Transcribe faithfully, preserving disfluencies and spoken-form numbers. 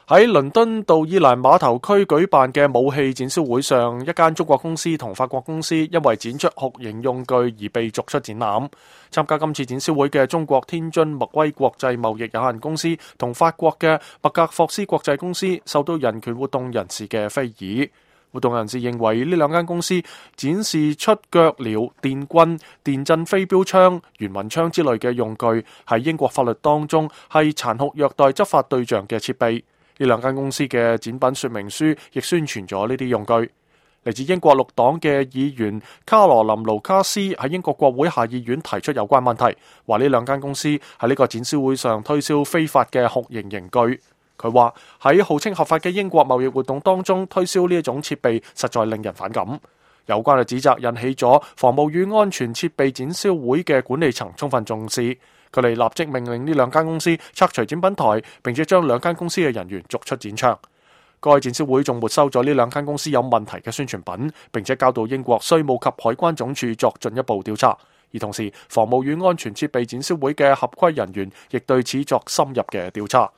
喺倫敦道爾蘭碼頭區舉辦嘅武器展銷會上，一間中國公司同法國公司因為展出酷刑用具而被逐出展覽。參加今次展銷會嘅中國天津麥威國際貿易有限公司同法國嘅麥格霍斯國際公司受到人權活動人士嘅非議。活動人士認為呢兩間公司展示出腳鐐、電棍、電震飛鏢槍、圓紋槍之類嘅用具，喺英國法律當中係殘酷虐待執法對象嘅設備。呢兩間公司嘅展品說明書亦宣傳咗呢啲用具。嚟自英國綠黨嘅議員卡羅琳盧卡斯喺英國國會下議院提出有關問題，話呢兩間公司喺呢個展銷會上推銷非法嘅酷刑刑具。佢話喺號稱合法嘅英國貿易活動當中推銷呢一種設備實在令人反感。有關嘅指責引起咗防務與安全設備展銷會嘅管理層充分重視。佢哋立即命令呢兩間公司拆除展品台，並且將兩間公司嘅人員逐出展場。該展銷會仲沒收咗呢兩間公司有問題嘅宣傳品，並且交到英國稅務及海關總署作進一步調查。而同時，防務與安全設備展銷會嘅合規人員亦對此作深入嘅調查。